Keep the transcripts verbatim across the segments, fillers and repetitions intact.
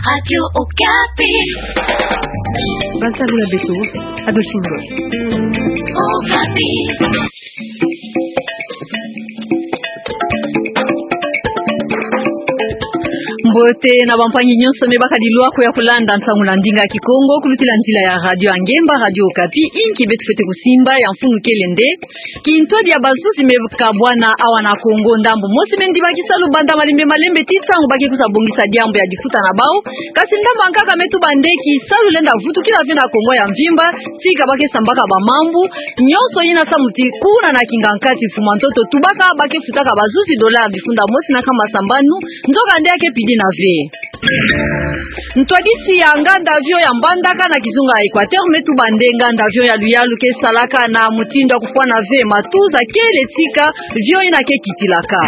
Radio Okapi. Basaluna beto, Adolphine Ngoy. Okapi. Mbote na bampangi nyonso me baka dilwa ko ya kulanda nsangu na ndinga Kikongo, kulutila nzila ya radio ya ngemba, Radio Okapi, inki beto fwete kusimba ya mfunu kele nde: kintwadi ya bazuzi me kabwana awa na Kongo, ndambu mosi me ndiba kisalu banda malembe malembe ti ntangu ba ke kusa bongisa diambu ya difuta na bawu. Kasi ndambu ya nkaka me tuba nde kisalu lenda vutukila ve na Kongo ya mvimba, tika ba ke sambaka bamambu nyonso yina samu ti kuna na kinga nkati, mfumu ya ntoto tubaka ba ke futaka bazuzi dollar difunda mosi na nkama sambanu, nzoka nde ya ke pidina ve. Ntwadisi ya nganda avion ya Mbandaka na kizunga ya Equateur me tuba nde nganda avion ya luyalu ke salaka na mutindu ya kufwana ve, matuza kele tika avion yina ke kitilaka.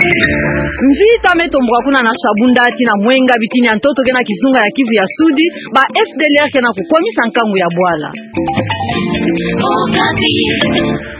Mvita me tomboka kuna na Shabunda tii na Mwenga, bitini ya ntoto ke na kizunga ya Kivu ya Sudi, ba F D L R ke na kukwamisa nkangu ya bwala.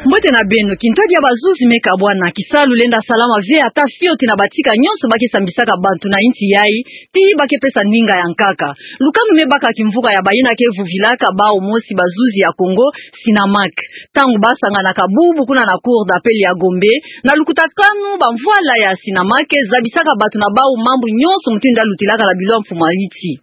Mbote na beno. Kintwadi ya bazuzi me kabwana, kisalu lenda salama ve ata fioti na batika nyonso ba ke sambisaka bantu na insi yayi, ti ba ke pesa ndinga ya nkaka. Lukanu me baka kimvuka ya bayina ke vuvilaka bawu mosi bazuzi ya Kongo, Sinamac, ntangu ba sanganaka bubu kuna na Cour d'appel ya Gombe, na lukutakanu bamvwala ya Sinamac zabisaka bantu na bawu mambu nyonso mutindu ya lutilaka na bilo ya mfumu ya nsi.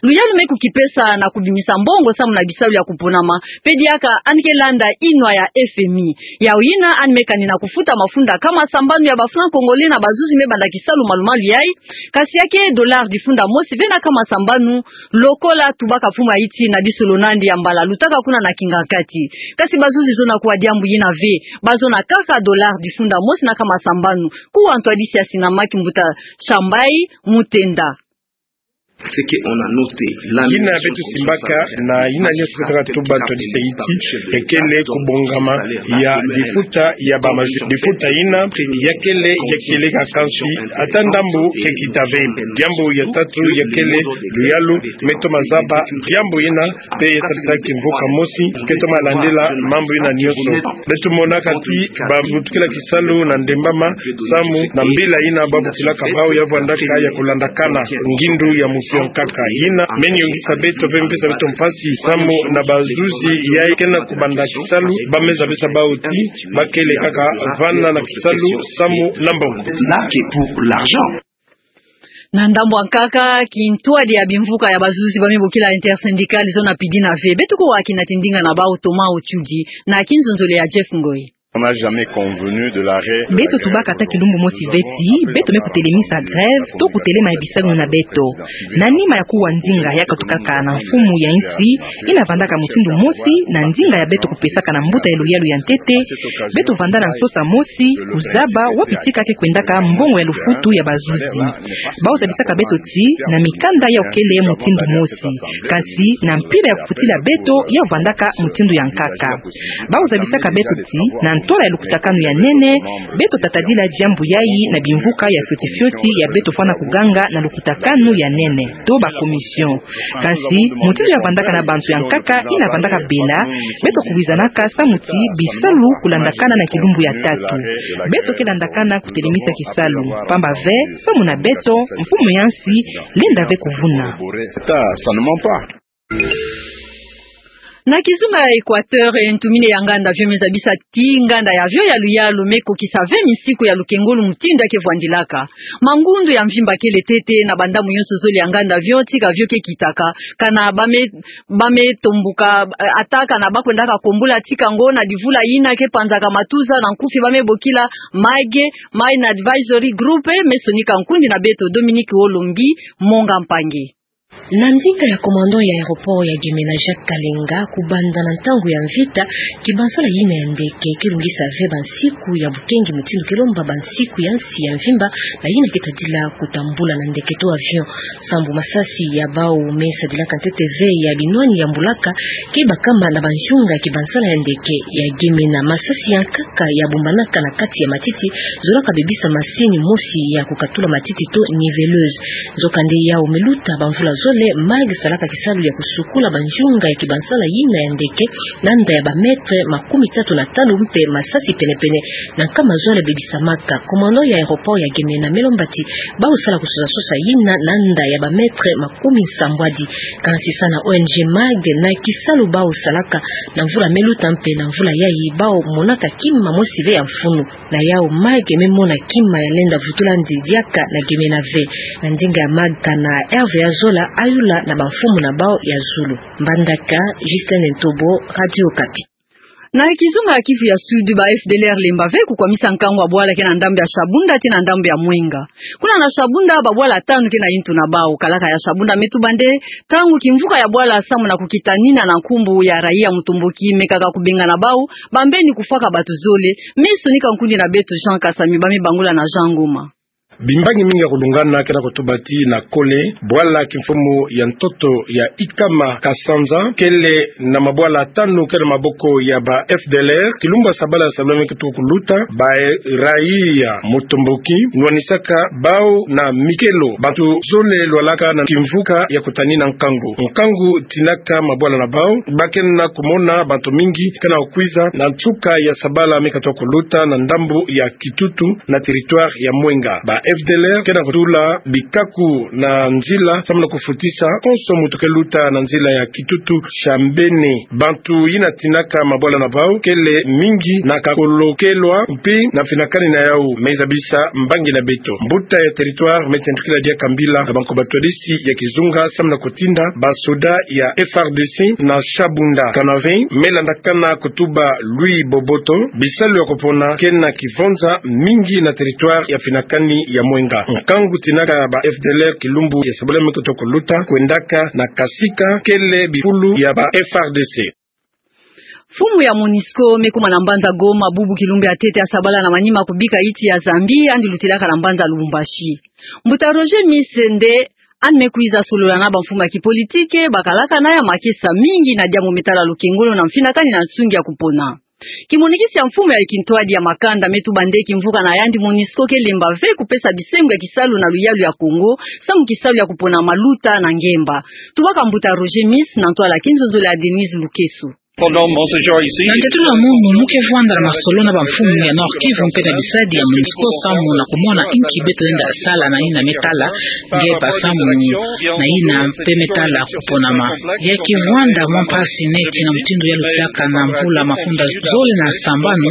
Luyalu me kukipesa na kubimisa mbongo samu na bisalu ya kuponama, mpe diaka yandi ke landa inwa ya F M I. Yawu yina yandi me kani na kufuta mafunda nkama sambanu ya ba franc congolais na bazuzi me banda kisalu malu-malu yayi, kasi ya ke dollar difunda mosi ve na nkama sambanu, lokola tubaka mfumu ya nsi na disolo na yandi ya mbala lutaka kuna na kinga nkati. Kasi bazuzi zona kuwa diambu yina ve, ba zona kaka dollar difunda mosi na nkama sambanu. Kuwa ntwadisi ya Sinamac, mbuta Shambai Mutenda. Ce que on a noté, yina beto simbaka na yina nyonso beto ka tuba ntwadisi ya nsi, ya kele kubongama ya difuta ya ba maju-, difuta yina ya kele, ya kele ka kansi ata ndambu ke kita ve. Diambu ya tatu ya kele luyalu me toma zaba diambu yina, mpe ya sadisa kimvuka mosi ke toma landila mambu yina nyonso. Beto monaka ti ba butukila kisalu na ndembama, samu na mbila yina ba butilaka bawu ya vwandaka ya kulandakana ngindu ya musi ya nkaka. Yina me niyongisa beto mpe me pesa beto mpasi, samu na bazuzi yayi ke na kubanda kisalu ba me zabisa bawu ti ba kele kaka vana na kisalu samu na mbongo. Là que pour l'argent. Na ndambu ya nkaka, kintwadi ya bimvuka ya bazuzi ba me bokila Intersyndicale zona pidina ve. Beto kuwa kina ti ndinga na bawu Thomas Otiudi na kinzonzolo ya Jeff Ngoy. On n'a jamais convenu de l'arrêt de la grève. Beto tubaka ata kilumbu mosi ve ti beto me kutelemisa grève to kutelema ya bisalu na beto. Na nima ya kuwa nzinga ya katukaka na mfumu ya nsi, yina vandaka mutindu mosi na nzinga ya beto kupesaka na mbuta ya luyalu ya ntete, beto vanda na nsosa mosi kuzaba wapi tika ke kwendaka mbongo ya lufutu ya bazuzi. Bawu zabisaka beto ti na mikanda yawu kele mutindu mosi, kasi na mpila ya kufutila beto yawu vandaka mutindu ya nkaka. Bawu zabisaka beto ti na ntola ya lukutakanu ya nene, beto tatadila diambu yayi na bimvuka ya fioti fioti ya beto fwana kuganga na lukutakanu ya nene to ba commission. Kasi mutindu ya vandaka na bantu ya nkaka yina vandaka bela, beto kuwizanaka samu ti bisalu kulandakana na kilumbu ya tatu. Beto ke landakana kutelemisa kisalu, pamba ve samu na beto mfumu ya nsi lenda ve kuvuna. Ça, ça ne ment pas. Na kizunga ya Equateur, eh, ntumini ya nganda avion me zabisa ti nganda ya avion ya luyalu me kokisa ve misiku ya lukengolo mutindu ya ke vwandilaka. Mangundu ya mvimba kele ntete na bandamu nyonso zole ya nganda avion, tika avion ke kitaka. Kana ba me, ba me tombuka, eh, ata kana ba kwendaka kombula tika ngo na divula yina ke panzaka matuza na nkufi ba me bokila MAG, Mine Advisory Group, eh, me sonika nkundi na beto Dominique Olombi Monga Mpangi. Na ndinga ya commandant ya aéroport ya Gemena, Jacques Kalenga, kubanda na ntangu ya mvita, kibansala yina ya ndeke ke lungisa ve bansiku ya bukengi mutindu ke lomba bansiku ya nsi ya mvimba na yina ke tadila kutambula na ndeke to avion. Sambu masasi ya bawu me sadilaka ntete ve ya binwani ya mbulaka ke bakama na banzunga ya kibansala ya ndeke ya Gemena. Masasi ya nkaka ya bombanaka na kati ya matiti zolaka bebisa masini mosi ya kukatula matiti to niveleuse. Nzokande yawu me luta bamvula zole Pele MAG salaka kisalu ya kusukula banzunga ya kibansala yina ya ndeke, na nda ya ba mètre makumi tatu na tanu mpe masasi penepene na nkama zole bebisamaka. Commandant ya aéroport ya Gemena me lomba ti bau sala kusosa-sosa yina na nda ya ba mètre makumi nsambwadi. Kansi sa na O N G MAG na kisalu bau salaka na mvula me luta mpe na mvula yayi bau monaka kima mosi ve ya mfunu. Na yau MAG me mona kima ya lenda vutula ndi diaka na Gemena ve. Na ndinga ya MAG kana Hervé Azola ayula na bamfumu na bau ya zulu. Mbandaka, Justin Ntobo, Radio Okapi. Na kizunga ya Kivu ya Sud, ba F D L R lemba ve kukwamisa nkangu wa bwala ke na ndambu ya Shabunda ti na ndambu ya Mwenga. Kuna na Shabunda, babwala tanu ke na yintu na bau. Kalaka ya Shabunda me tuba nde, ntangu kimvuka ya bwala samu na kukitanina na nkumbu ya raia mutomboki mekaka kubengana bau, bambeni kufwaka batu zole. Me sonika nkundi na beto Jean Kasami, ba me bangula na Jean Ngoma. Bimbangi mingi ya kulungana ke na kutuba ti na Kole, bwala kimfumu ya ntoto ya Ikama Kasanza, kele na mabwala tanu ke na maboko ya ba F D L R. Kilumbu ya sabala ya sabala me ke toko kuluta, ba raia mutomboki nwanisaka bau na mikelo bantu zole lwalaka na kimvuka ya kutanina nkangu. Nkangu tinaka mabwala na bau, ba ke na kumona bantu mingi ke na kukwiza na nsuka ya sabala me ke toko kuluta na ndambu ya Kitutu na territoire ya Mwenga. Ba F D L R ke na kutula bikaku na nzila samu na kufutisa konso mutu ke luta na nzila ya Kitutu Shambene. Bantu yina tinaka mabwala na bau kele mingi na kakolokelwa mpe na finakani na yau. Me zabisa mbangi na beto. Mbuta ya territoire Me Tendukila Diaka Mbila na banko batwadisi ya kizunga samu na kutinda basoda ya F R D C na Shabunda. Kanave me landakana kutuba Louis Boboto, bisalu ya kupona ke na kivonza mingi na territoire ya finakani ya Mwenga. Nkangu tinaka ba F D L R kilumbu ya sabala me ke toko kuluta kwendaka na Kasika, kele bifulu ya ba F R D C. Mfumu ya MONUSCO me kuma na mbanza Goma bubu kilumbu ya ntete ya sabala na manima kubika yiti ya Zambie, yandi lutilaka na mbanza Lubumbashi. Mbuta Roger Misse nde yandi me kwiza solola na bamfumu ya kipolitike, bakalaka na ya makesa mingi na diambu me tala lukengolo na mfinakani na nsungi ya kupona. Kimonikisi ya mfumu ya kintwadi ya makanda me tuba nde kimvuka na yandi MONUSCO ke lemba ve kupesa bisengo ya kisalu na luyalu ya Congo, samu kisalu ya kupona maluta na ngemba. Tubaka mbuta Roger Misse na ntwala ya kinzonzolo ya Denise Lukeso. Na ntetolo ya munu, mu ke vwanda na masolo na bamfumu ya Nord-Kivu mpe na bisadi ya MONUSCO samu na kumona inki beto lenda sala na yina me tala ngemba samu na yina mpe me tala kuponama. Ya ke vwanda mwa mpasi neti na mutindu ya lutilaka na mvula mafunda zole na sambanu,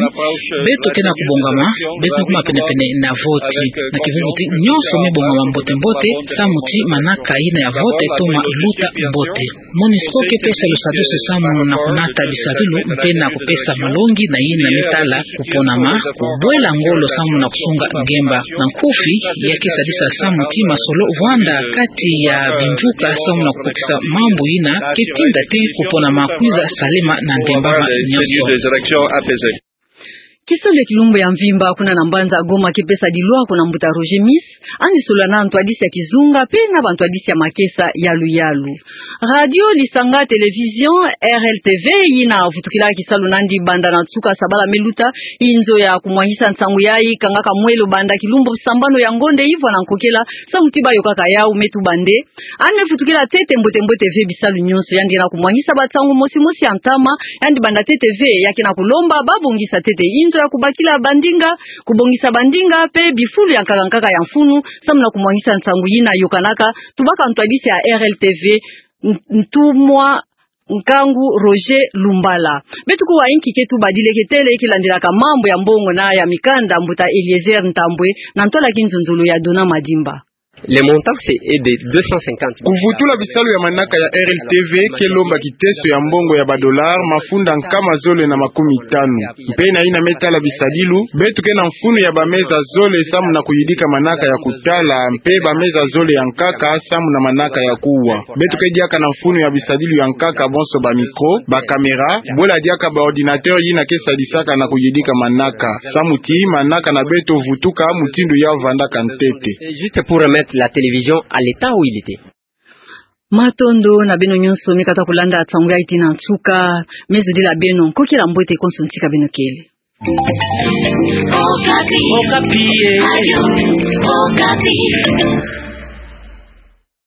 beto ke na kubongama, beto me kuma penepene na voti. Na kivuvu ti nyonso me bongama mbote-mbote, samu ti manaka yina ya voti etoma luta mbote. MONUSCO ke pesa lusadisu samu na kunata bisadilu mpe na kupesa malongi na yina me tala kuponama, kubwela ngolo samu na kusunga ngemba. Na nkufi, ya ke sadisa samu ti masolo vwanda kati ya bimvuka samu na kukokisa mambu yina ke tinda ti kuponama kwiza salema na ndembama nyonso. Kisalu ya kilumbu ya mvimba kuna na mbanza Goma ke pesa dilwako na mbuta Roger Misse, yandi solola na ntwadisi ya kizunga mpe na bantwadisi ya makesa ya luyalu. Radio Lisanga Télévision, R L T V, yina vutukila kisalu na yandi banda na nsuka sabala me luta, inzo ya kumwangisa nsangu yayi kangaka mwelo banda kilumbu sambanu ya ngonde ivwa na nkokela, samu ti bayokaka yau me tuba nde yandi me vutukila ntete mbote-mbote ve bisalu nyonso, yandi ke na kumwangisa bansangu mosi-mosi ya ntama, yandi banda ntete ve, ya ke na kulomba babongisa ntete inzo ya kubakila bandinga, kubongisa bandinga, mpe bifulu ya nkaka-nkaka ya mfunu, samu na kumwangisa nsangu yina yokanaka. Tubaka ntwadisi ya R L T V, N-, Ntumwa Nkangu Roger Lumbala. Beto kuwa inki ke tuba dileketele ke landilaka mambu ya mbongo na ya mikanda, mbuta Eliezer Ntambwe, na ntwala ya kinzonzolo ya Dona Madimba. Le montant, c'est, est de deux cent cinquante. Kuvutula bisalu ya manaka ya R L T V ke lomba kiteso ya mbongo ya ba dollars mafunda nkama zole na makumi tanu. Mpe na yina me tala bisadilu, beto ke na mfunu ya bameza zole samu na kuyidika manaka ya kutala, mpe bameza zole ya nkaka samu na manaka ya kuwa. Beto ke diaka na mfunu ya bisadilu ya nkaka bonso, ba micro, ba caméra, bwela diaka ba ordinateur yina ke sadisaka na kuyidika manaka. Samu ti manaka na beto vutuka mutindu ya vandaka ntete. C'est juste pour remettre la télévision à l'état où il était. Matondo na beno nyonso me kata kulanda nsangu yayi tii na nsuka. Me zudila beno nkokila mbote konso ntika beno kele. Okapi. Okapi, eh. Radio Okapi.